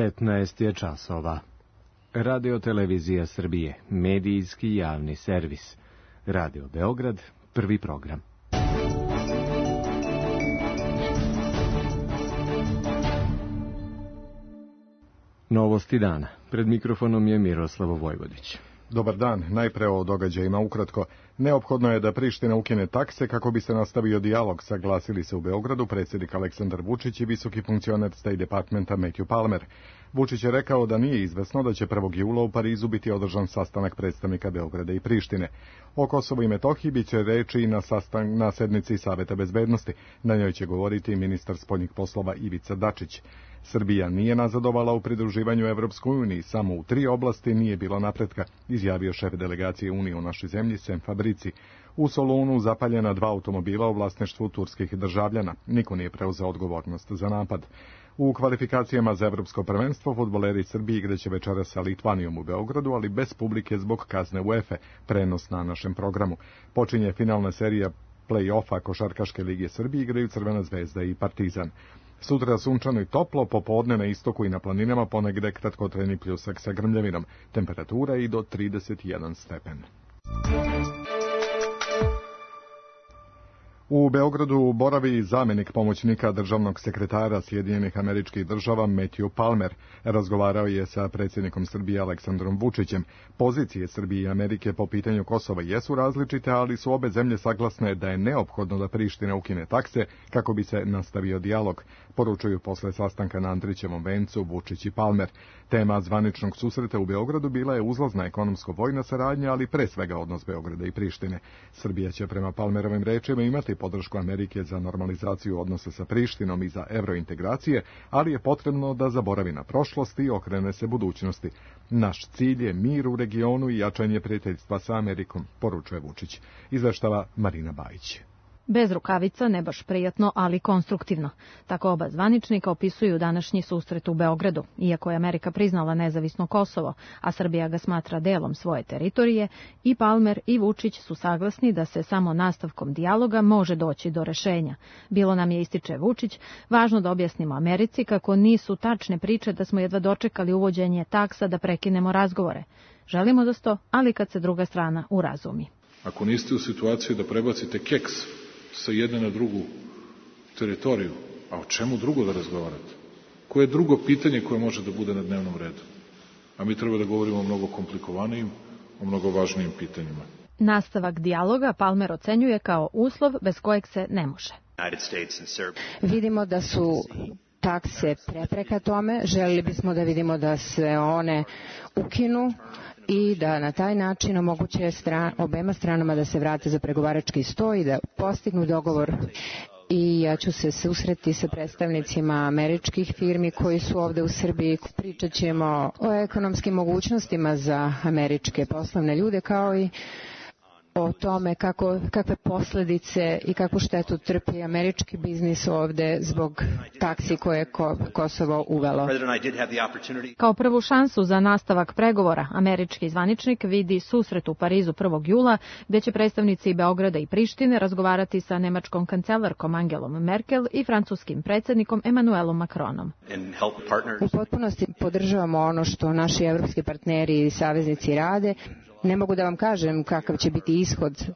15 je časova. Radio Televizija Srbije, medijski javni servis. Radio Beograd, prvi program. Novosti dana. Pred mikrofonom je Miroslavo Vojvodić. Dobar dan. Najpre o događajima ukratko. Neophodno je da Priština ukine takse kako bi se nastavio dijalog, saglasili se u Beogradu predsjednik Aleksandar Vučić i visoki funkcioner State Departmenta Matthew Palmer. Vučić je rekao da nije izvesno da će 1. jula u Parizu biti održan sastanak predstavnika Beograda i Prištine. O Kosovu i Metohiji biće reči i na sednici Saveta bezbednosti. Na njoj će govoriti ministar spoljnih poslova Ivica Dačić. Srbija nije nazadovala u pridruživanju Evropskoj uniji, samo u 3 oblasti nije bilo napretka, izjavio šef delegacije Unije u našoj zemlji Sem Fabrici. U Solunu zapaljena 2 automobila u vlasništvu turskih državljana. Niko nije preuzeo odgovornost za napad. U kvalifikacijama za evropsko prvenstvo fudbaleri Srbije igraće večeras sa Litvanijom u Beogradu, ali bez publike zbog kazne UEFA, prenos na našem programu. Počinje finalna serija play-offa Košarkaške lige Srbije, igraju Crvena zvezda i Partizan. Sutra sunčano i toplo, popodne na istoku i na planinama ponegde kratkotrajni pljusak sa grmljavinom. Temperatura i do 31 stepen. U Beogradu boravi zamjenik pomoćnika državnog sekretara Sjedinjenih Američkih Država Matthew Palmer. Razgovarao je sa predsjednikom Srbije Aleksandrom Vučićem. Pozicije Srbije i Amerike po pitanju Kosova jesu različite, ali su obe zemlje saglasne da je neophodno da Priština ukine takse kako bi se nastavio dijalog, poručuju posle sastanka na Andrićevom vencu Vučić i Palmer. Tema zvaničnog susreta u Beogradu bila je uzlazna ekonomsko-vojna saradnja, ali pre svega odnos Beograda i Prištine. Srbija će prema Palmerovim rečima imati podršku Amerike za normalizaciju odnosa sa Prištinom i za evrointegracije, ali je potrebno da zaboravi na prošlost i okrene se budućnosti. Naš cilj je mir u regionu i jačanje prijateljstva sa Amerikom, poručuje Vučić. Izveštava Marina Bajić. Bez rukavica, ne baš prijatno, ali konstruktivno. Tako oba zvaničnika opisuju današnji susret u Beogradu. Iako je Amerika priznala nezavisno Kosovo, a Srbija ga smatra delom svoje teritorije, i Palmer i Vučić su saglasni da se samo nastavkom dijaloga može doći do rešenja. Bilo nam je, ističe Vučić, važno da objasnimo Americi kako nisu tačne priče da smo jedva dočekali uvođenje taksa da prekinemo razgovore. Želimo da sto, ali kad se druga strana urazumi. Ako niste u situaciji da prebacite keks sa jedne na drugu teritoriju, a o čemu drugo da razgovarate? Koje je drugo pitanje koje može da bude na dnevnom redu? A mi treba da govorimo o mnogo komplikovanijim, o mnogo važnijim pitanjima. Nastavak dijaloga Palmer ocenjuje kao uslov bez kojeg se ne može. Vidimo da su takse prepreka tome, želili bismo da vidimo da se one ukinu i da na taj način omoguće obema stranama da se vrate za pregovarački sto i da postignu dogovor. I ja ću se susreti sa predstavnicima američkih firmi koji su ovde u Srbiji. Pričat ćemo o ekonomskim mogućnostima za američke poslovne ljude, kao i o tome kakve posljedice i kakvu štetu trpi američki biznis ovde zbog taksi koje je Kosovo uvelo. Kao prvu šansu za nastavak pregovora, američki zvaničnik vidi susret u Parizu 1. jula, gde će predstavnici Beograda i Prištine razgovarati sa nemačkom kancelarkom Angelom Merkel i francuskim predsjednikom Emmanuelom Macronom. U potpunosti podržavamo ono što naši evropski partneri i saveznici rade. Ne mogu da vam kažem kakav će biti ishod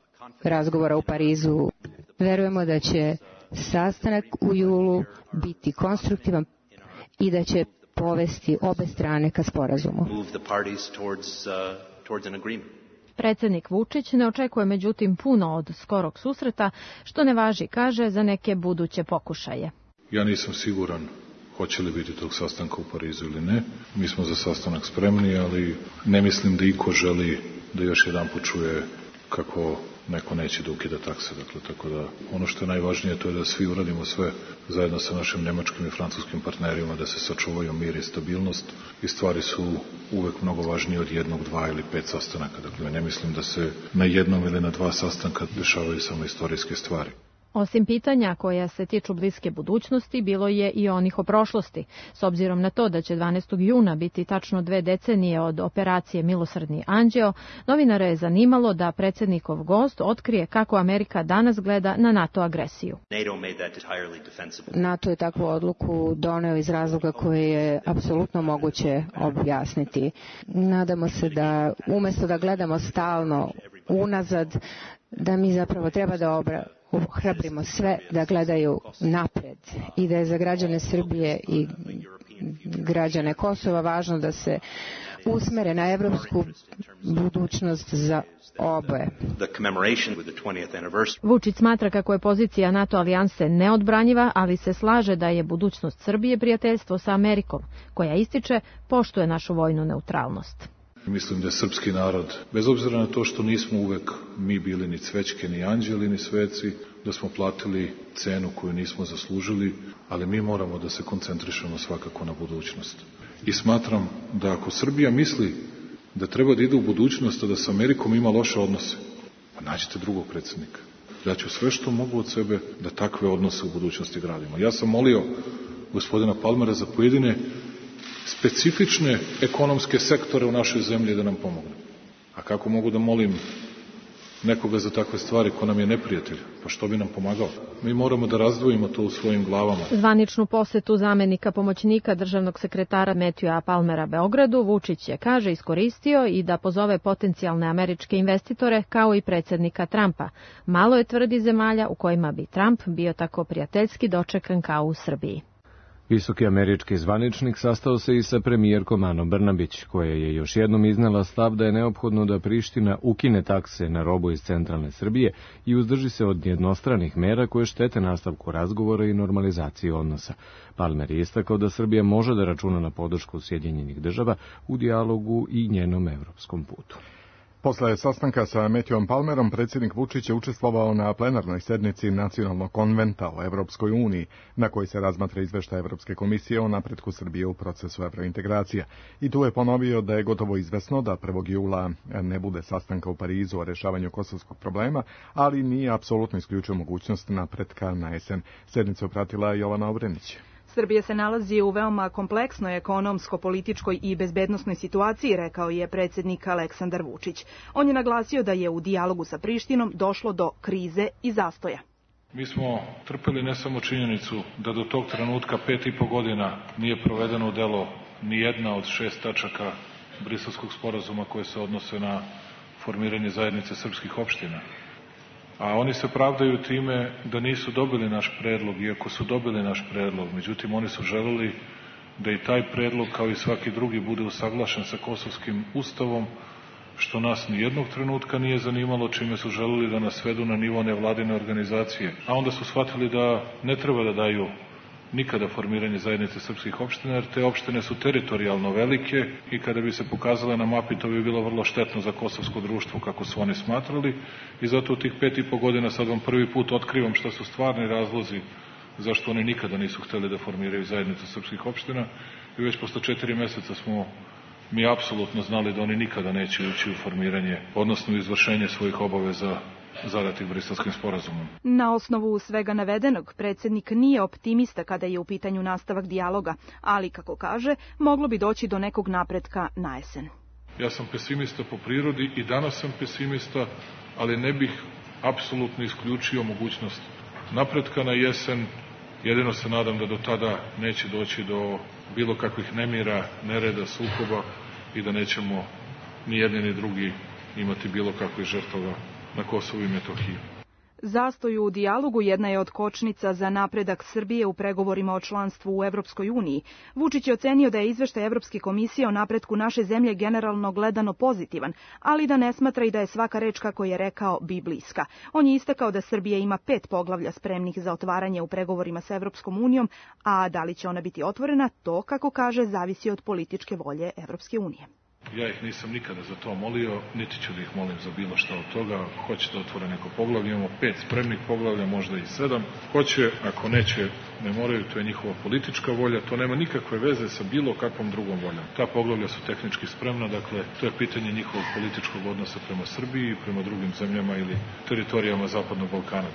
razgovora u Parizu. Verujemo da će sastanak u julu biti konstruktivan i da će povesti obe strane ka sporazumu. Predsjednik Vučić ne očekuje međutim puno od skorog susreta, što ne važi, kaže, za neke buduće pokušaje. Ja nisam siguran hoće li biti tog sastanka u Parizu ili ne. Mi smo za sastanak spremni, ali ne mislim da iko želi da još jedan put čuje kako neko neće da ukida takse. Dakle, tako da ono što je najvažnije to je da svi uradimo sve zajedno sa našim nemačkim i francuskim partnerima da se sačuvaju mir i stabilnost i stvari su uvek mnogo važnije od 1, 2 ili 5 sastanaka. Dakle, ne mislim da se na jednom ili na 2 sastanka dešavaju samo istorijske stvari. Osim pitanja koja se tiču bliske budućnosti, bilo je i onih o prošlosti. S obzirom na to da će 12. juna biti tačno 2 decenije od operacije Milosrdni anđeo, novinare je zanimalo da predsjednikov gost otkrije kako Amerika danas gleda na NATO agresiju. NATO je takvu odluku doneo iz razloga koje je apsolutno moguće objasniti. Nadamo se da umjesto da gledamo stalno unazad, da mi zapravo treba da ohrabrimo sve da gledaju napred i da je za građane Srbije i građane Kosova važno da se usmere na evropsku budućnost za oboje. Vučić smatra kako je pozicija NATO alijanse neodbranjiva, ali se slaže da je budućnost Srbije prijateljstvo sa Amerikom, koja ističe poštuje našu vojnu neutralnost. Mislim da je srpski narod, bez obzira na to što nismo uvek mi bili ni cvećke, ni anđeli, ni sveci, da smo platili cenu koju nismo zaslužili, ali mi moramo da se koncentrišemo svakako na budućnost. I smatram da ako Srbija misli da treba da ide u budućnost, a da sa Amerikom ima loše odnose, pa nađite drugog predsjednika. Ja ću sve što mogu od sebe da takve odnose u budućnosti gradimo. Ja sam molio gospodina Palmera za pojedine specifične ekonomske sektore u našoj zemlji da nam pomogne. A kako mogu da molim nekoga za takve stvari ko nam je neprijatelj? Pa što bi nam pomagao? Mi moramo da razdvojimo to u svojim glavama. Zvaničnu posetu zamenika pomoćnika državnog sekretara Matthewa Palmera Beogradu Vučić je, kaže, iskoristio i da pozove potencijalne američke investitore kao i predsjednika Trumpa. Malo je, tvrdi, zemalja u kojima bi Trump bio tako prijateljski dočekan kao u Srbiji. Visoki američki zvaničnik sastao se i sa premijerkom Anom Brnabić, koja je još jednom iznela stav da je neophodno da Priština ukine takse na robu iz centralne Srbije i uzdrži se od jednostranih mera koje štete nastavku razgovora i normalizaciji odnosa. Palmer je istakao da Srbija može da računa na podršku Sjedinjenih država u dijalogu i njenom evropskom putu. Posle sastanka sa Matthewom Palmerom, predsjednik Vučić je učestvovao na plenarnoj sednici Nacionalnog konventa o Evropskoj uniji, na kojoj se razmatra izveštaj Evropske komisije o napretku Srbije u procesu evrointegracija. I tu je ponovio da je gotovo izvesno da 1. jula ne bude sastanka u Parizu o rešavanju kosovskog problema, ali nije apsolutno isključio mogućnost napretka na jesen. Sednicu pratila Jovana Obrenić. Srbija se nalazi u veoma kompleksnoj ekonomsko-političkoj i bezbednosnoj situaciji, rekao je predsjednik Aleksandar Vučić. On je naglasio da je u dijalogu sa Prištinom došlo do krize i zastoja. Mi smo trpeli ne samo činjenicu da do tog trenutka 5,5 godina nije provedeno u delo ni jedna od 6 tačaka Briselskog sporazuma koje se odnose na formiranje zajednice srpskih opština. A oni se pravdaju time da nisu dobili naš predlog, iako su dobili naš predlog. Međutim, oni su želeli da i taj predlog, kao i svaki drugi, bude usaglašen sa kosovskim ustavom, što nas ni jednog trenutka nije zanimalo, čime su želeli da nas svedu na nivo nevladine organizacije. A onda su shvatili da ne treba da daju nikada formiranje zajednice srpskih opština, jer te opštine su teritorijalno velike i kada bi se pokazale na mapi, to bi bilo vrlo štetno za kosovsko društvo, kako su oni smatrali. I zato u tih 5,5 godina sad vam prvi put otkrivam šta su stvarni razlozi zašto oni nikada nisu hteli da formiraju zajednicu srpskih opština. I već posle 4 meseca smo mi apsolutno znali da oni nikada neće ući u formiranje, odnosno u izvršenje svojih obaveza zadatih Briselskim sporazumom. Na osnovu svega navedenog, predsjednik nije optimista kada je u pitanju nastavak dijaloga, ali, kako kaže, moglo bi doći do nekog napretka na jesen. Ja sam pesimista po prirodi i danas sam pesimista, ali ne bih apsolutno isključio mogućnost napretka na jesen. Jedino se nadam da do tada neće doći do bilo kakvih nemira, nereda, sukoba i da nećemo ni jedni ni drugi imati bilo kakvih žrtava na Kosovu i Metohiji. Zastoj u dijalogu jedna je od kočnica za napredak Srbije u pregovorima o članstvu u Evropskoj uniji. Vučić je ocenio da je izveštaj Evropske komisije o napretku naše zemlje generalno gledano pozitivan, ali da ne smatra i da je svaka reč, kako je rekao, biblijska. On je istakao da Srbija ima 5 poglavlja spremnih za otvaranje u pregovorima sa Evropskom unijom, a da li će ona biti otvorena, to, kako kaže, zavisi od političke volje Evropske unije. Ja ih nisam nikada za to molio, niti ću da ih molim za bilo šta od toga. Hoće da otvore neko poglavlje, imamo 5 spremnih poglavlja, možda i 7. Hoće, ako neće, ne moraju, to je njihova politička volja, to nema nikakve veze sa bilo kakvom drugom voljom. Ta poglavlja su tehnički spremna, dakle, to je pitanje njihovog političkog odnosa prema Srbiji i prema drugim zemljama ili teritorijama Zapadnog Balkana.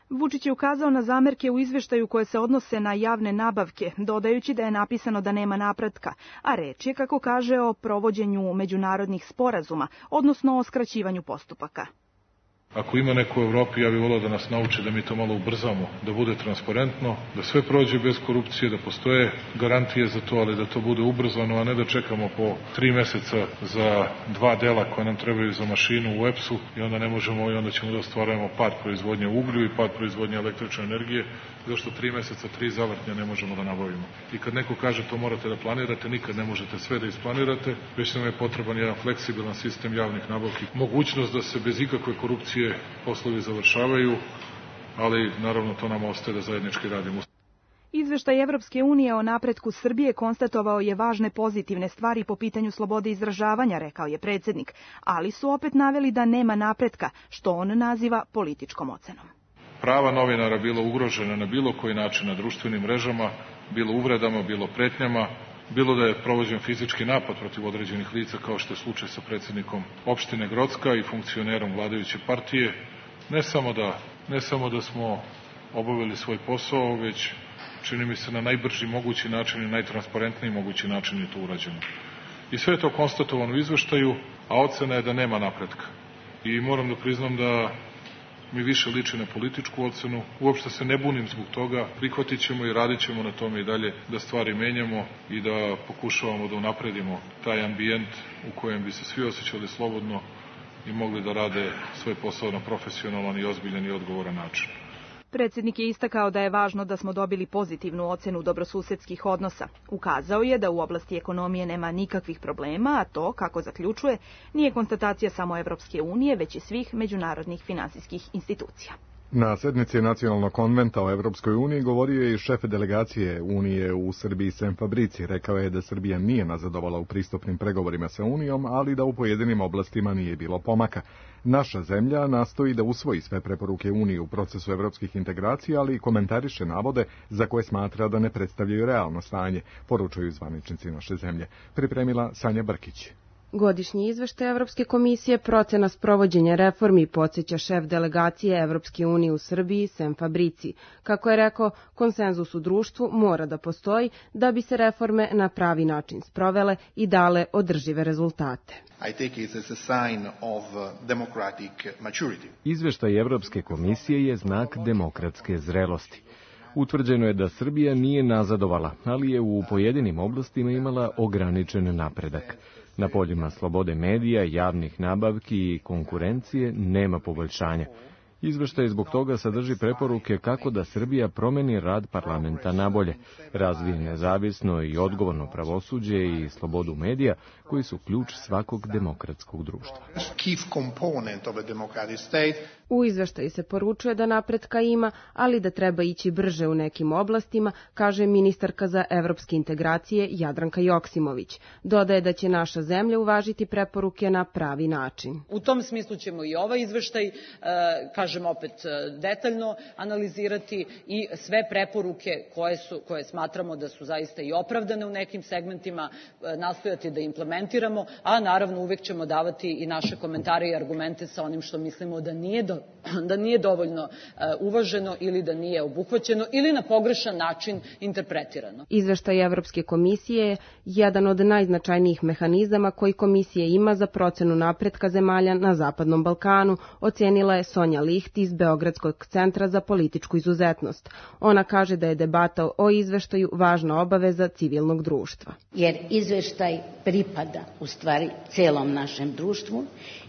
Vučić je ukazao na zamerke u izveštaju koje se odnose na javne nabavke, dodajući da je napisano da nema napretka, a reč je, kako kaže, o provođenju međunarodnih sporazuma, odnosno o skraćivanju postupaka. Ako ima neko u Evropi, ja bih volao da nas nauči da mi to malo ubrzamo, da bude transparentno, da sve prođe bez korupcije, da postoje garantije za to, ali da to bude ubrzano, a ne da čekamo po 3 meseca za 2 dela koje nam trebaju za mašinu u EPS-u i onda ne možemo, i onda ćemo da ostvarujemo pad proizvodnje uglju i pad proizvodnje električne energije, zašto 3 meseca 3 zavrtnja ne možemo da nabavimo. I kad neko kaže to morate da planirate, nikad ne možete sve da isplanirate, već nam je potreban jedan fleksibilan sistem javnih nabavki, mogućnost da se bez ikakve korupcije poslovi završavaju, ali naravno to nam ostaje da zajednički radimo. Izveštaj Evropske unije o napretku Srbije konstatovao je važne pozitivne stvari po pitanju slobode izražavanja, rekao je predsjednik, ali su opet naveli da nema napretka, što on naziva političkom ocenom. Prava novinara bilo ugrožena na bilo koji način na društvenim mrežama, bilo uvredama, bilo pretnjama, bilo da je provođen fizički napad protiv određenih lica, kao što je slučaj sa predsjednikom opštine Grocka i funkcionerom vladajuće partije, ne samo da smo obavili svoj posao, već čini mi se na najbrži mogući način i najtransparentniji mogući način je to urađeno. I sve je to konstatovano u izveštaju, a ocena je da nema napretka. I moram da priznam da mi više liči na političku ocenu. Uopšte se ne bunim zbog toga, prihvatit ćemo i radit ćemo na tome i dalje da stvari menjamo i da pokušavamo da unapredimo taj ambijent u kojem bi se svi osjećali slobodno i mogli da rade svoj posao na profesionalan i ozbiljan i odgovoran način. Predsjednik je istakao da je važno da smo dobili pozitivnu ocenu dobrosusedskih odnosa. Ukazao je da u oblasti ekonomije nema nikakvih problema, a to, kako zaključuje, nije konstatacija samo Evropske unije, već i svih međunarodnih finansijskih institucija. Na sednici Nacionalnog konventa o Evropskoj uniji govorio je i šef delegacije Unije u Srbiji Sem Fabrici. Rekao je da Srbija nije nazadovala u pristupnim pregovorima sa Unijom, ali da u pojedinim oblastima nije bilo pomaka. Naša zemlja nastoji da usvoji sve preporuke Unije u procesu evropskih integracija, ali i komentariše navode za koje smatra da ne predstavljaju realno stanje, poručuju zvaničnici naše zemlje. Pripremila Sanja Brkić. Godišnji izveštaj Evropske komisije procena sprovođenja reformi podsjeća šef delegacije Evropske unije u Srbiji Sem Fabrici. Kako je rekao, konsenzus u društvu mora da postoji da bi se reforme na pravi način sprovele i dale održive rezultate. Izveštaj Evropske komisije je znak demokratske zrelosti. Utvrđeno je da Srbija nije nazadovala, ali je u pojedinim oblastima imala ograničen napredak. Na poljima slobode medija, javnih nabavki i konkurencije nema poboljšanja. Izveštaj zbog toga sadrži preporuke kako da Srbija promeni rad parlamenta nabolje, razvije nezavisno i odgovorno pravosuđe i slobodu medija, koji su ključ svakog demokratskog društva. U izveštaju se poručuje da napretka ima, ali da treba ići brže u nekim oblastima, kaže ministarka za evropske integracije Jadranka Joksimović. Dodaje da će naša zemlja uvažiti preporuke na pravi način. U tom smislu ćemo i ovaj izveštaj, kažem opet, detaljno analizirati i sve preporuke koje smatramo da su zaista i opravdane u nekim segmentima, nastojati da implementiramo, a naravno uvek ćemo davati i naše komentare i argumente sa onim što mislimo da nije dovoljno uvaženo ili da nije obuhvaćeno ili na pogrešan način interpretirano. Izveštaj Evropske komisije je jedan od najznačajnijih mehanizama koji komisija ima za procenu napretka zemalja na Zapadnom Balkanu, ocenila je Sonja Licht iz Beogradskog centra za političku izuzetnost. Ona kaže da je debata o izveštaju važna obaveza civilnog društva. Jer izveštaj pripada u stvari celom našem društvu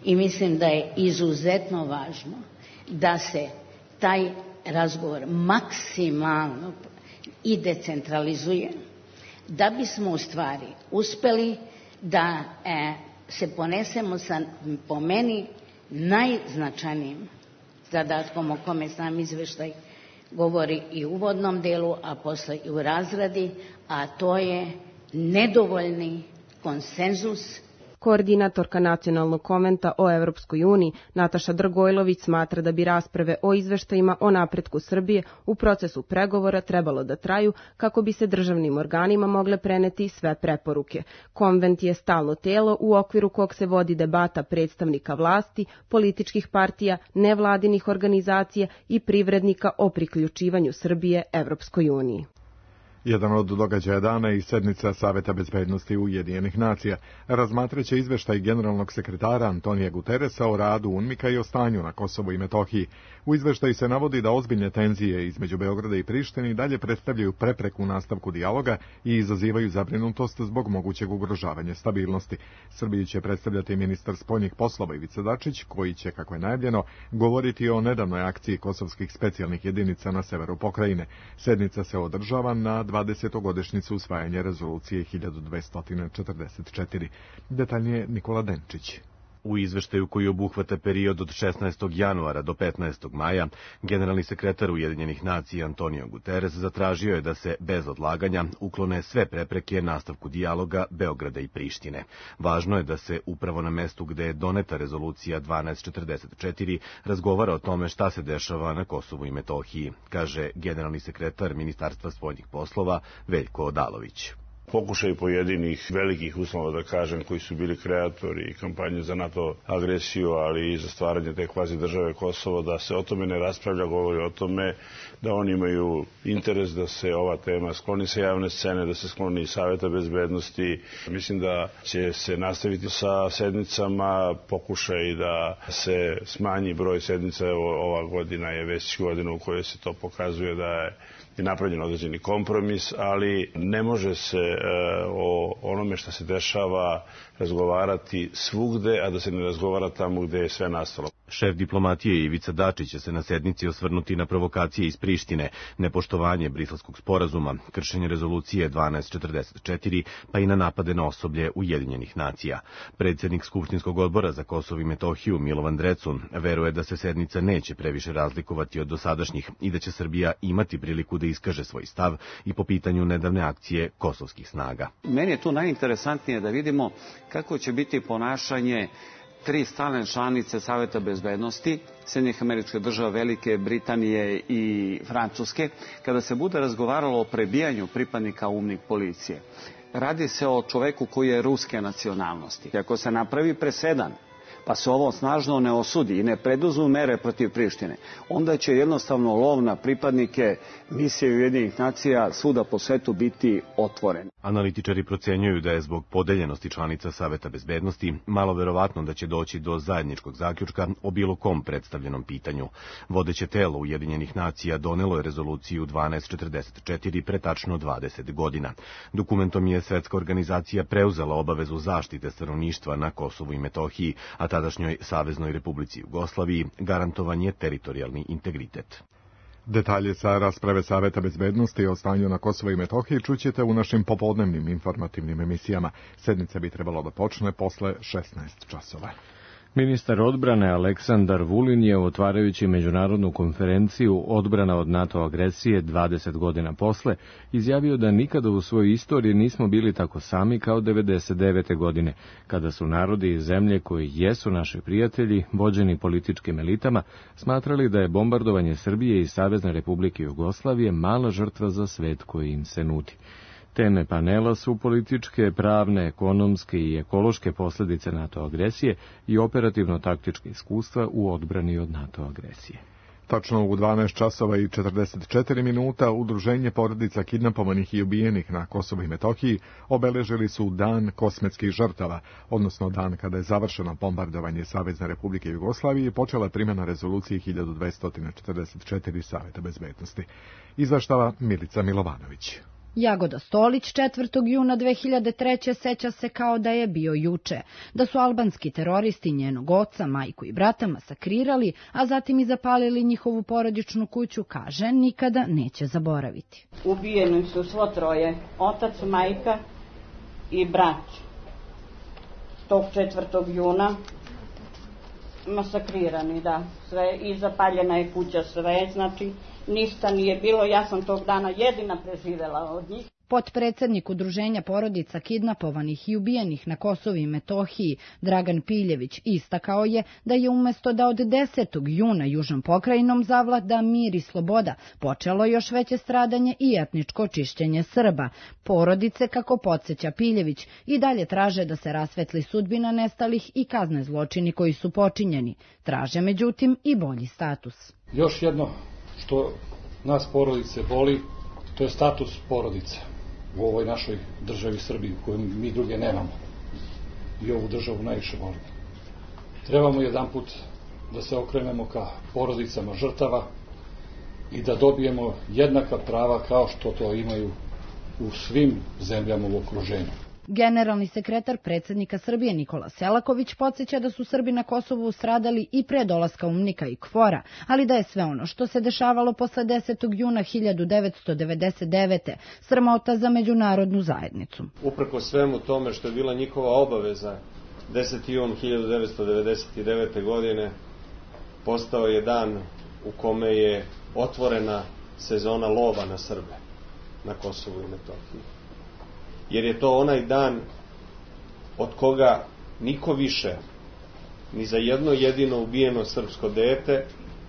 i mislim da je izuzetno važno da se taj razgovor maksimalno i decentralizuje, da bismo u stvari uspeli da se ponesemo sa, po meni, najznačajnijim zadatkom o kome sam izveštaj govori i u uvodnom delu, a posle i u razradi, a to je nedovoljni konsenzus Koordinatorka Nacionalnog konventa o Evropskoj uniji Nataša Dragojlović smatra da bi rasprave o izveštajima o napretku Srbije u procesu pregovora trebalo da traju kako bi se državnim organima mogle preneti sve preporuke. Konvent je stalno telo u okviru kog se vodi debata predstavnika vlasti, političkih partija, nevladinih organizacija i privrednika o priključivanju Srbije Evropskoj uniji. Jedan od događaja dana je i sednica Saveta bezbednosti Ujedinjenih nacija. Razmatraće izveštaj generalnog sekretara Antonija Guteresa o radu UNMIK-a i o stanju na Kosovu i Metohiji. U izveštaju se navodi da ozbiljne tenzije između Beograda i Prištine dalje predstavljaju prepreku u nastavku dijaloga i izazivaju zabrinutost zbog mogućeg ugrožavanja stabilnosti. Srbiju će predstavljati ministar spoljnih poslova Ivica Dačić, koji će, kako je najavljeno, govoriti o nedavnoj akciji kosovskih specijalnih jedinica na severu pokrajine. Sednica se održava na 20-godišnjicu usvajanja rezolucije 1244. Detaljnije Nikola Denčić. U izveštaju koji obuhvata period od 16. januara do 15. maja, generalni sekretar Ujedinjenih nacija Antonio Guterres zatražio je da se bez odlaganja uklone sve prepreke nastavku dijaloga Beograda i Prištine. Važno je da se upravo na mestu gde je doneta rezolucija 1244 razgovara o tome šta se dešava na Kosovu i Metohiji, kaže generalni sekretar Ministarstva spoljnih poslova Veljko Odalović. Pokušaj pojedinih velikih uslova, da kažem, koji su bili kreatori kampanje za NATO agresiju, ali i za stvaranje te kvazi države Kosovo, da se o tome ne raspravlja, govori o tome da oni imaju interes da se ova tema skloni sa javne scene, da se skloni iz Saveta bezbednosti. Mislim da će se nastaviti sa sednicama, pokušaj da se smanji broj sednica. Ova godina je već godina u kojoj se to pokazuje da je napravljen određeni kompromis, ali ne može se o onome što se dešava razgovarati svugde, a da se ne razgovara tamo gde je sve nastalo. Šef diplomatije Ivica Dačić će se na sednici osvrnuti na provokacije iz Prištine, nepoštovanje Briselskog sporazuma, kršenje rezolucije 1244, pa i na napade na osoblje Ujedinjenih nacija. Predsjednik Skupštinskog odbora za Kosovo i Metohiju Milovan Drecun veruje da se sednica neće previše razlikovati od dosadašnjih i da će Srbija imati priliku da iskaže svoj stav i po pitanju nedavne akcije kosovskih snaga. Meni je tu najinteresantnije da vidimo kako će biti ponašanje 3 stalne članice Saveta bezbednosti, Sjedinjenih Američkih Država, Velike Britanije i Francuske, kada se bude razgovaralo o prebijanju pripadnika UNMIK policije. Radi se o čoveku koji je ruske nacionalnosti. Ako se napravi presedan, pa se ovo snažno ne osudi i ne preduzmu mere protiv Prištine, onda će jednostavno lov na pripadnike misije Ujedinjenih nacija svuda po svetu biti otvoren. Analitičari procenjuju da je zbog podeljenosti članica Saveta bezbednosti malo verovatno da će doći do zajedničkog zaključka o bilo kom predstavljenom pitanju. Vodeće telo Ujedinjenih nacija donelo je rezoluciju 1244 pre tačno 20 godina. Dokumentom je Svetska organizacija preuzela obavezu zaštite stanovništva na Kosovu i Metohiji, a tadašnjoj Saveznoj Republici Jugoslaviji garantovan je teritorijalni integritet. Detalje sa rasprave Saveta bezbednosti o stanju na Kosovo i Metohiji čućete u našim popodnevnim informativnim emisijama. Sednica bi trebalo da počne posle 16 časova. Ministar odbrane Aleksandar Vulin je, otvarajući međunarodnu konferenciju Odbrana od NATO agresije 20 godina posle, izjavio da nikada u svojoj istoriji nismo bili tako sami kao 99. godine, kada su narodi i zemlje koji jesu naši prijatelji, vođeni političkim elitama, smatrali da je bombardovanje Srbije i Savezne Republike Jugoslavije mala žrtva za svet koji im se nudi. Teme panela su političke, pravne, ekonomske i ekološke posljedice NATO agresije i operativno-taktičke iskustva u odbrani od NATO agresije. Tačno u 12 časova i 44 minuta Udruženje porodica kidnapovanih i ubijenih na Kosovu i Metohiji obeležili su Dan kosmetskih žrtava, odnosno dan kada je završeno bombardovanje Savezne Republike Jugoslavije i počela primjena rezolucije 1244 Saveta bezbednosti. Izveštava Milica Milovanović. Jagoda Stolić 4. juna 2003. seća se kao da je bio juče, da su albanski teroristi njenog oca, majku i brata masakrirali, a zatim i zapalili njihovu porodičnu kuću, kaže, nikada neće zaboraviti. Ubijeni su svo troje, otac, majka i brat. Tog 4. juna masakrirani, da, sve, i zapaljena je kuća, sve, znači ništa nije bilo, ja sam tog dana jedina preživela od njih. Potpredsednik Udruženja porodica kidnapovanih i ubijenih na Kosovu i Metohiji, Dragan Piljević, istakao je da je umesto da od 10. juna južnom pokrajinom zavlada mir i sloboda, počelo još veće stradanje i etničko čišćenje Srba. Porodice, kako podsjeća Piljević, i dalje traže da se rasvetli sudbina nestalih i kazne zločini koji su počinjeni. Traže, međutim, i bolji status. Još jedno što nas porodice boli, to je status porodice u ovoj našoj državi Srbiji, koju mi druge nemamo. I ovu državu najviše volimo. Trebamo jedanput da se okrenemo ka porodicama žrtava i da dobijemo jednaka prava kao što to imaju u svim zemljama u okruženju. Generalni sekretar predsjednika Srbije Nikola Selaković podsjeća da su Srbi na Kosovu stradali i pre dolaska UNMIK-a i KFOR-a, ali da je sve ono što se dešavalo posle 10. juna 1999. sramota za međunarodnu zajednicu. Uprko svemu tome što je bila njihova obaveza, 10. jun 1999. godine postao je dan u kome je otvorena sezona lova na Srbe na Kosovu i Metohiji. Jer je to onaj dan od koga niko više, ni za jedno jedino ubijeno srpsko dete,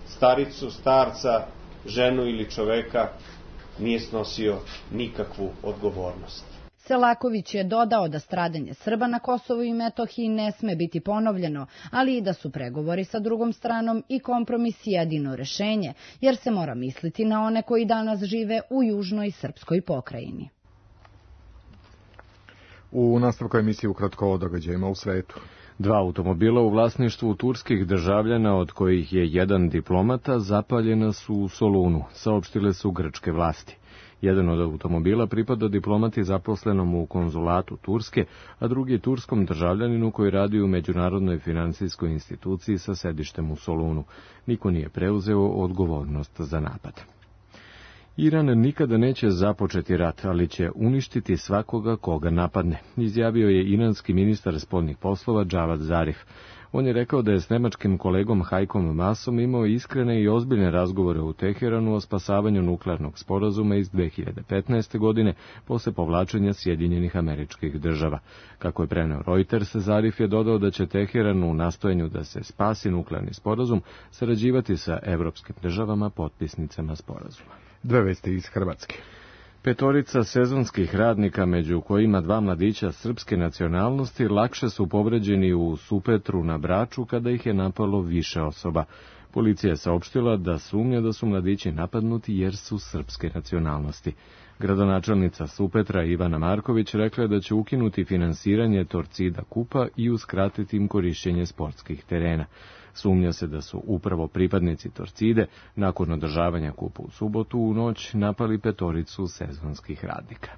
staricu, starca, ženu ili čoveka, nije snosio nikakvu odgovornost. Selaković je dodao da stradanje Srba na Kosovu i Metohiji ne sme biti ponovljeno, ali i da su pregovori sa drugom stranom i kompromis jedino rešenje, jer se mora misliti na one koji danas žive u južnoj srpskoj pokrajini. U nastavku emisije ukratko o događajima u svetu. 2 automobila u vlasništvu turskih državljana, od kojih je jedan diplomata, zapaljena su u Solunu, saopštile su grčke vlasti. Jedan od automobila pripada diplomati zaposlenom u konzulatu Turske, a drugi turskom državljaninu koji radi u međunarodnoj finansijskoj instituciji sa sedištem u Solunu. Niko nije preuzeo odgovornost za napad. Iran nikada neće započeti rat, ali će uništiti svakoga koga napadne, izjavio je iranski ministar spoljnih poslova Džavad Zarif. On je rekao da je s nemačkim kolegom Hajkom Masom imao iskrene i ozbiljne razgovore u Teheranu o spasavanju nuklearnog sporazuma iz 2015. godine posle povlačenja Sjedinjenih Američkih Država. Kako je preneo Reuters, Zarif je dodao da će Teheran u nastojanju da se spasi nuklearni sporazum sarađivati sa evropskim državama potpisnicama sporazuma. 2 vesti iz Hrvatske. 5 sezonskih radnika, među kojima 2 mladića srpske nacionalnosti, lakše su povređeni u Supetru na Braču kada ih je napalo više osoba. Policija je saopštila da sumnja da su mladići napadnuti jer su srpske nacionalnosti. Gradonačelnica Supetra Ivana Marković rekla je da će ukinuti finansiranje Torcida Kupa i uskratiti im korišćenje sportskih terena. Sumnja se da su upravo pripadnici Torcide, nakon održavanja kupa u subotu u noć, napali 5 sezonskih radnika.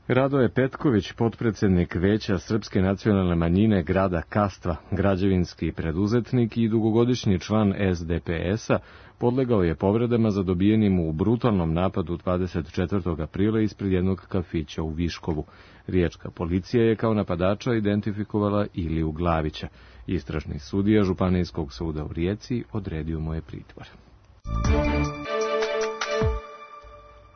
Radoje Petković, potpredsednik Veća Srpske nacionalne manjine grada Kastva, građevinski preduzetnik i dugogodišnji član SDPS-a, podlegao je povredama zadobijenim u brutalnom napadu 24. aprila ispred jednog kafića u Viškovu. Riječka policija je kao napadača identifikovala Iliju Glavića. Istražni sudija Županijskog suda u Rijeci odredio mu je pritvor.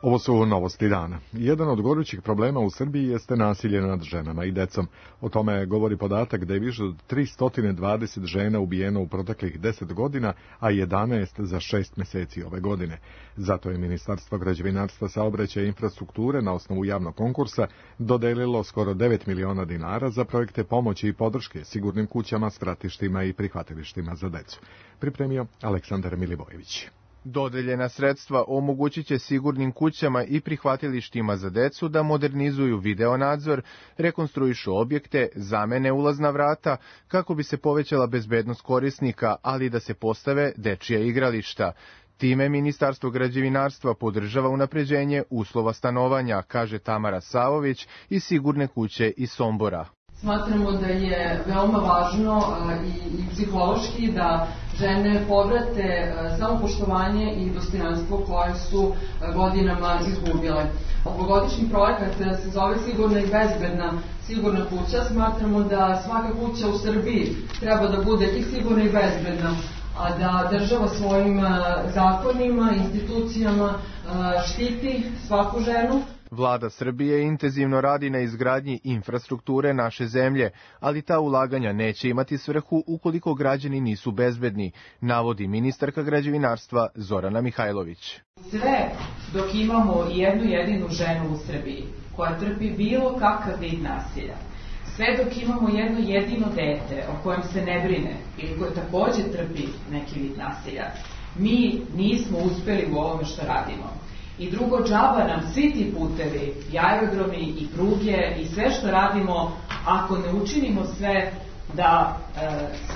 Ovo su novosti dana. Jedan od gorućih problema u Srbiji jeste nasilje nad ženama i decom. O tome govori podatak da je više od 320 žena ubijeno u proteklih 10 godina, a 11 za 6 meseci ove godine. Zato je Ministarstvo građevinarstva, saobraćaja i infrastrukture na osnovu javnog konkursa dodelilo skoro 9 miliona dinara za projekte pomoći i podrške sigurnim kućama, stratištima i prihvatilištima za decu. Pripremio Aleksandar Milivojević. Dodeljena sredstva omogućit će sigurnim kućama i prihvatilištima za decu da modernizuju videonadzor, rekonstruišu objekte, zamene ulazna vrata, kako bi se povećala bezbednost korisnika, ali da se postave dečija igrališta. Time Ministarstvo građevinarstva podržava unapređenje uslova stanovanja, kaže Tamara Savović iz Sigurne kuće iz Sombora. Smatramo da je veoma važno i psihološki da žene povrate samopoštovanje i dostojanstvo koje su godinama izgubile. Ovogodišnji projekat se zove Sigurna i bezbedna sigurna kuća. Smatramo da svaka kuća u Srbiji treba da bude i sigurna i bezbedna, a da država svojim zakonima, institucijama štiti svaku ženu. Vlada Srbije intenzivno radi na izgradnji infrastrukture naše zemlje, ali ta ulaganja neće imati svrhu ukoliko građani nisu bezbedni, navodi ministarka građevinarstva Zorana Mihajlović. Sve dok imamo jednu jedinu ženu u Srbiji koja trpi bilo kakav vid nasilja, sve dok imamo jedno jedino dete o kojem se ne brine ili koje takođe trpi neki vid nasilja, mi nismo uspeli u ovome što radimo. I drugo, džaba nam svi ti putevi, i aerodromi, i pruge, i sve što radimo, ako ne učinimo sve da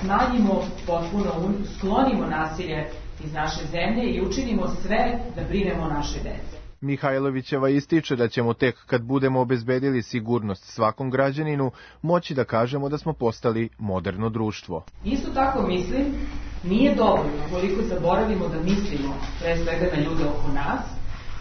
smanjimo, potpuno sklonimo nasilje iz naše zemlje i učinimo sve da brinemo o našoj deci. Mihajlovićeva ističe da ćemo tek kad budemo obezbedili sigurnost svakom građaninu moći da kažemo da smo postali moderno društvo. Isto tako mislim, nije dovoljno koliko zaboravimo da mislimo pre svega na ljude oko nas,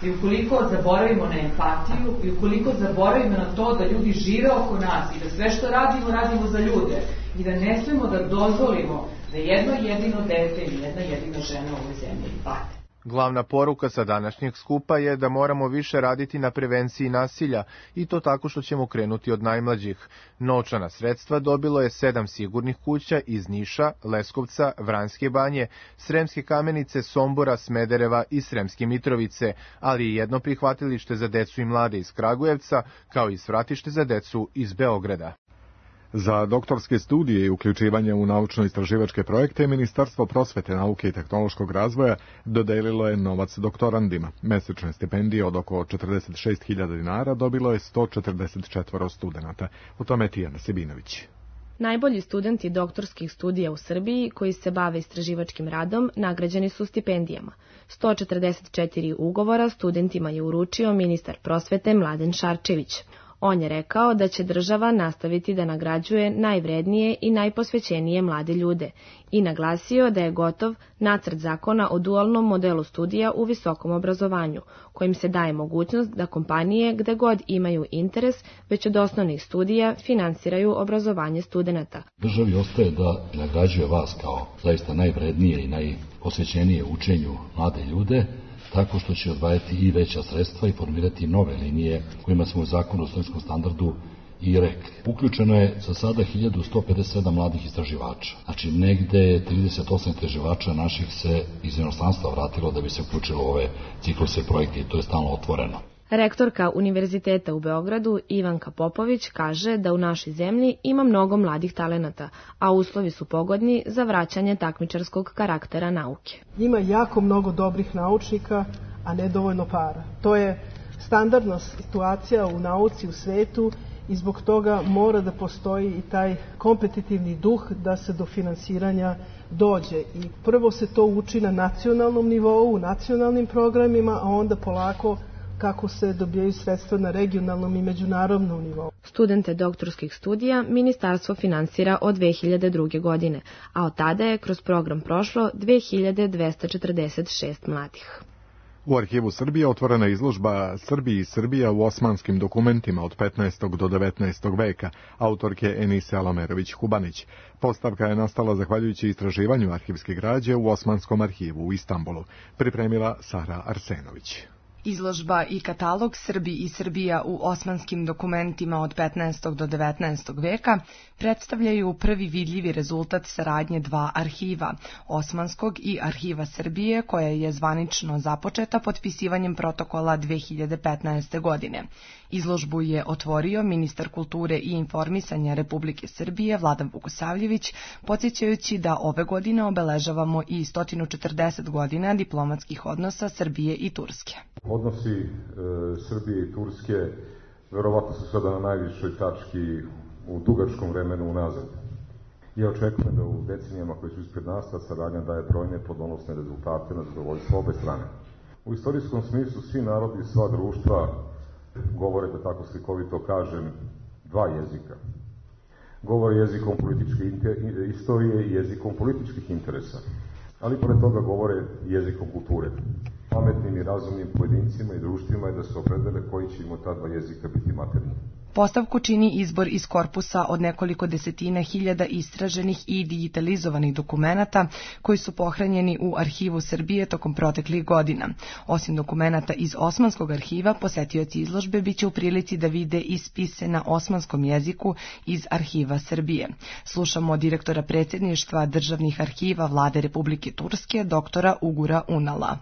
i ukoliko zaboravimo na empatiju, i ukoliko zaboravimo na to da ljudi žive oko nas i da sve što radimo, radimo za ljude i da ne smemo da dozvolimo da jedno jedino dete ili jedna jedina žena u ovoj zemlji pati. Glavna poruka sa današnjeg skupa je da moramo više raditi na prevenciji nasilja i to tako što ćemo krenuti od najmlađih. Novčana sredstva dobilo je 7 sigurnih kuća iz Niša, Leskovca, Vranjske banje, Sremske Kamenice, Sombora, Smedereva i Sremske Mitrovice, ali i jedno prihvatilište za decu i mlade iz Kragujevca, kao i svratište za decu iz Beograda. Za doktorske studije i uključivanje u naučno-istraživačke projekte Ministarstvo prosvete, nauke i tehnološkog razvoja dodelilo je novac doktorandima. Mesečne stipendije od oko 46.000 dinara dobilo je 144 studenata. U tome Tijana Sebinović. Najbolji studenti doktorskih studija u Srbiji koji se bave istraživačkim radom nagrađeni su stipendijama. 144 ugovora studentima je uručio ministar prosvete Mladen Šarčević. On je rekao da će država nastaviti da nagrađuje najvrednije i najposvećenije mlade ljude i naglasio da je gotov nacrt zakona o dualnom modelu studija u visokom obrazovanju, kojim se daje mogućnost da kompanije gde god imaju interes već od osnovnih studija finansiraju obrazovanje studenata. Državi ostaje da nagrađuje vas kao zaista najvrednije i najposvećenije učenju mlade ljude, tako što će odvajati i veća sredstva i formirati nove linije kojima smo u zakonu o studentskom standardu i rekli. Uključeno je za sada 1157 mladih istraživača. Znači negde 38 istraživača naših se iz inostranstva vratilo da bi se uključilo u ove cikluse projekte i to je stalno otvoreno. Rektorka Univerziteta u Beogradu Ivanka Popović kaže da u našoj zemlji ima mnogo mladih talenata, a uslovi su pogodni za vraćanje takmičarskog karaktera nauke. Ima jako mnogo dobrih naučnika, a nedovoljno para. To je standardna situacija u nauci u svetu i zbog toga mora da postoji i taj kompetitivni duh da se do finansiranja dođe. I prvo se to uči na nacionalnom nivou, u nacionalnim programima, a onda polako kako se dobijaju sredstva na regionalnom i međunarodnom nivou. Studente doktorskih studija ministarstvo finansira od 2002. godine, a od tada je kroz program prošlo 2246 mladih. U Arhivu Srbije otvorena izložba Srbiji i Srbija u osmanskim dokumentima od 15. do 19. veka, autorke Enise Alamerović-Hubanić. Postavka je nastala zahvaljujući istraživanju arhivske građe u Osmanskom arhivu u Istanbulu. Pripremila Sara Arsenović. Izložba i katalog Srbi i Srbija u osmanskim dokumentima od 15. do 19. veka predstavljaju prvi vidljivi rezultat saradnje dva arhiva, Osmanskog i Arhiva Srbije, koja je zvanično započeta potpisivanjem protokola 2015. godine. Izložbu je otvorio ministar kulture i informisanja Republike Srbije Vladan Vukosavljević, podsjećajući da ove godine obeležavamo i 140 godina diplomatskih odnosa Srbije i Turske. Odnosi Srbije i Turske verovatno su sada na najvišoj tački u dugačkom vremenu unazad. Ja očekujem da u decenijama koje su ispred nas ta saradnja daje brojne plodonosne rezultate na zadovoljstvo obe strane. U istorijskom smislu svi narodi i sva društva govore, da tako slikovito kažem, dva jezika. Govore jezikom političke istorije i jezikom političkih interesa, ali pored toga govore jezikom kulture. pametnim i razumnim pojedincima i društvima je da se opredele koji će im od ta dva jezika biti maternji. Postavku čini izbor iz korpusa od nekoliko desetina hiljada istraženih i digitalizovanih dokumenata koji su pohranjeni u Arhivu Srbije tokom proteklih godina. Osim dokumenata iz Osmanskog arhiva, posetioci izložbe biće u prilici da vide i spise na osmanskom jeziku iz Arhiva Srbije. Slušamo direktora predsjedništva državnih arhiva Vlade Republike Turske, doktora Ugura Unala.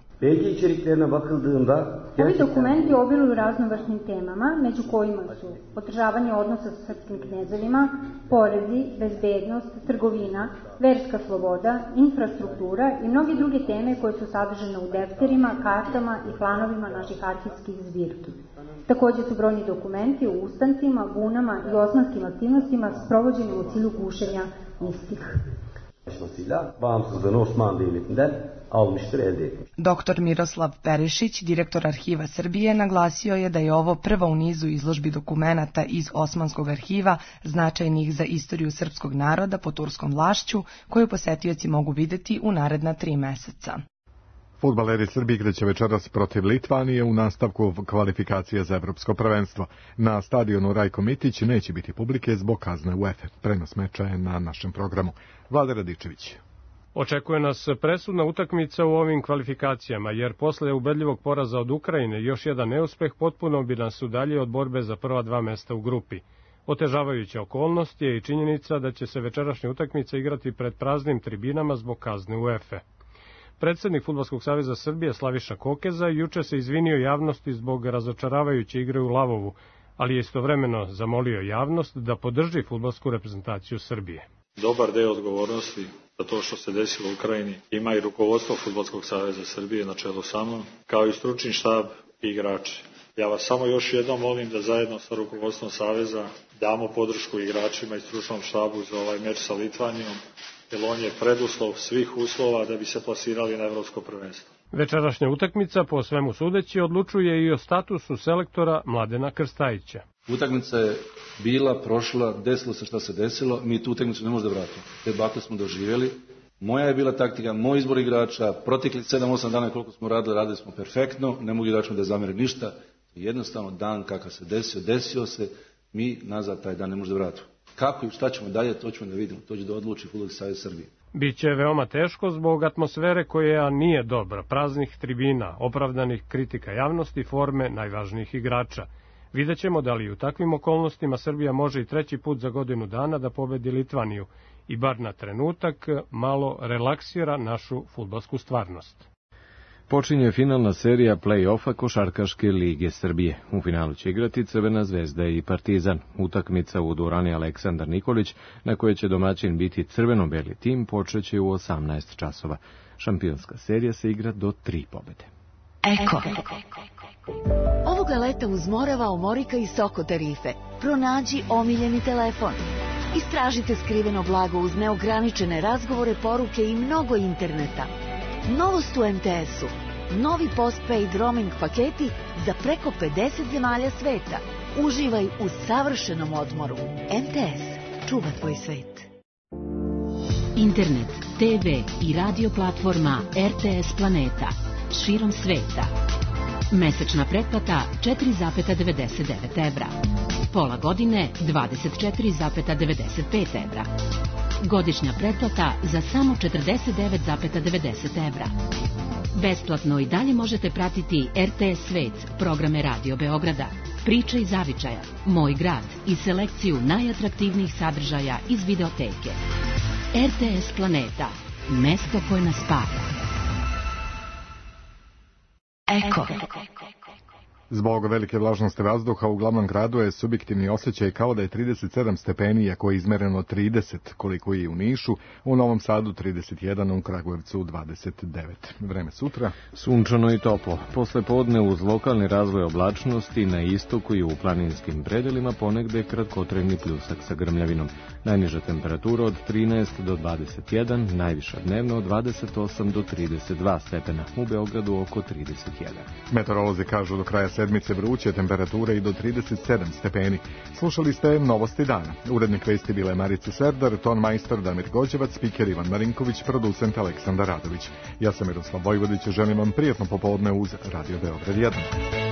Ovi dokumenti obiluju raznovrsnim temama, među kojima su održavanje odnosa sa srpskim knezovima, porezi, bezbednost, trgovina, verska sloboda, infrastruktura i mnoge druge teme koje su sadržane u defterima, kartama i planovima naših arhivskih zbirki. Također su brojni dokumenti o ustancima, bunama i osmanskim aktivnostima sprovođenim u cilju gušenja istih. Bağımsızlığını Osmanlı Devleti'nden almıştır, elde etmiş. Dr. Miroslav Perišić, direktor Arhiva Srbije, naglasio je da je ovo prva u nizu izložbi dokumenata iz Osmanskog arhiva značajnih za istoriju srpskog naroda pod turskom vlašću, koju posetioci mogu videti u naredna 3 meseca. Fudbaleri Srbije igraće večeras protiv Litvanije u nastavku kvalifikacije za evropsko prvenstvo. Na stadionu Rajko Mitić neće biti publike zbog kazne UEFA. Prenos meča je na našem programu. Vlada Radičević. Očekuje nas presudna utakmica u ovim kvalifikacijama, jer posle ubedljivog poraza od Ukrajine još jedan neuspeh potpuno bi nas udaljio od borbe za prva 2 mesta u grupi. Otežavajuća okolnost je i činjenica da će se večerašnja utakmica igrati pred praznim tribinama zbog kazne UEFA. Predsednik Fudbalskog saveza Srbije Slaviša Kokeza juče se izvinio javnosti zbog razočaravajuće igre u Lavovu, ali je istovremeno zamolio javnost da podrži fudbalsku reprezentaciju Srbije. Dobar deo odgovornosti za to što se desilo u Ukrajini ima i rukovodstvo Fudbalskog saveza Srbije na čelu sa mnom, kao i stručni štab i igrači. Ja vas samo još jednom molim da zajedno sa rukovodstvom saveza damo podršku igračima i stručnom štabu za ovaj meč sa Litvanijom, jer on je preduslov svih uslova da bi se plasirali na evropsko prvenstvo. Večerašnja utakmica, po svemu sudeći, odlučuje i o statusu selektora Mladena Krstajića. Utakmica je bila, prošla, desilo se šta se desilo, mi tu utakmicu ne možemo da vratimo. Te bakle smo doživjeli. Moja je bila taktika, moj izbor igrača, protekli 7-8 dana koliko smo radili smo perfektno, ne mogu igračima da zamere ništa. Jednostavno dan kakav se desio se, mi nazad taj dan ne možemo da vratimo. Kako i šta ćemo dalje, to ćemo da vidimo, to će da odluči Fudbalski savez Srbije. Biće veoma teško zbog atmosfere koja nije dobra, praznih tribina, opravdanih kritika javnosti, forme najvažnijih igrača. Vidjet ćemo da li u takvim okolnostima Srbija može i 3. put za godinu dana da pobedi Litvaniju i bar na trenutak malo relaksira našu fudbalsku stvarnost. Počinje finalna serija play-offa Košarkaške lige Srbije. U finalu će igrati Crvena zvezda i Partizan. Utakmica u dvorani Aleksandar Nikolić, na kojoj će domaćin biti crveno-beli tim, počeće u 18 časova. Šampionska serija se igra do 3 pobede. Eko. Ovoga leta uz Morava, Omorika i Soko tarife. Pronađi omiljeni telefon. Istražite skriveno blago uz neograničene razgovore, poruke i mnogo interneta. Novost u MTS-u. Novi postpaid roaming paketi za preko 50 zemalja sveta. Uživaj u savršenom odmoru. MTS. Čuva tvoj svet. Internet, TV i radio platforma RTS Planeta. Širom sveta. Mesečna pretplata 4,99 evra. Pola godine 24,95 evra. Godišnja pretplata za samo 49,90 evra. Besplatno i dalje možete pratiti RTS Svet, programe Radio Beograda, Priče iz Zavičaja, Moj grad i selekciju najatraktivnijih sadržaja iz videoteke. RTS Planeta, mesto koje nas spaja. Eko. Zbog velike vlažnosti vazduha u glavnom gradu je subjektivni osjećaj kao da je 37 stepeni, iako je izmereno 30, koliko je u Nišu, u Novom Sadu 31, u Kragujevcu 29. Vreme sutra. Sunčano i toplo. Posle podne uz lokalni razvoj oblačnosti na istoku i u planinskim predelima ponegde kratkotrajni pljusak sa grmljavinom. Najniža temperatura od 13 do 21, najviša dnevno od 28 do 32 stepena, u Beogradu oko 31. Meteorolozi kažu do kraja sedmice vruće, temperature i do 37 stepeni. Slušali ste Novosti dana. Urednik vesti bila je Marica Serdar, ton majstor Damir Gođevac, spiker Ivan Marinković, producent Aleksandar Radović. Ja sam Miroslav Vojvodić, želim vam prijatno popodne uz Radio Beograd 1.